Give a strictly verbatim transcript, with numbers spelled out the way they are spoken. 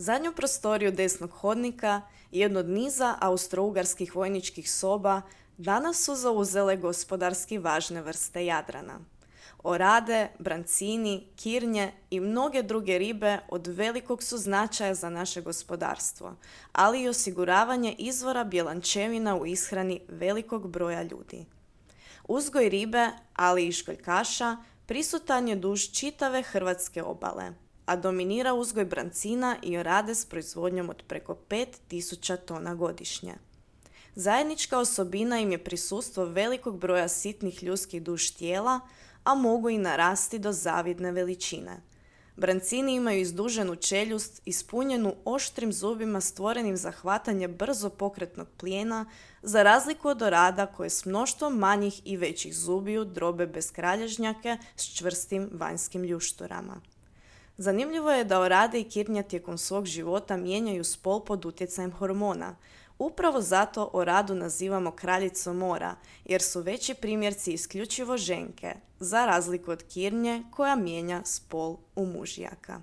Zadnju prostoriju desnog hodnika i jednu od niza austro-ugarskih vojničkih soba danas su zauzele gospodarski važne vrste Jadrana. Orade, brancini, kirnje i mnoge druge ribe od velikog su značaja za naše gospodarstvo, ali i osiguravanje izvora bjelančevina u ishrani velikog broja ljudi. Uzgoj ribe, ali i školjkaša, prisutan je duž čitave hrvatske obale, a dominira uzgoj brancina i orade s proizvodnjom od preko pet tisuća tona godišnje. Zajednička osobina im je prisustvo velikog broja sitnih ljudskih duž tijela, a mogu i narasti do zavidne veličine. Brancini imaju izduženu čeljust ispunjenu oštrim zubima stvorenim za hvatanje brzo pokretnog plijena, za razliku od orada koje s mnoštvom manjih i većih zubiju drobe beskralježnjake s čvrstim vanjskim ljušturama. Zanimljivo je da orade i kirnja tijekom svog života mijenjaju spol pod utjecajem hormona. Upravo zato oradu nazivamo kraljicom mora, jer su veći primjerci isključivo ženke, za razliku od kirnje koja mijenja spol u mužjaka.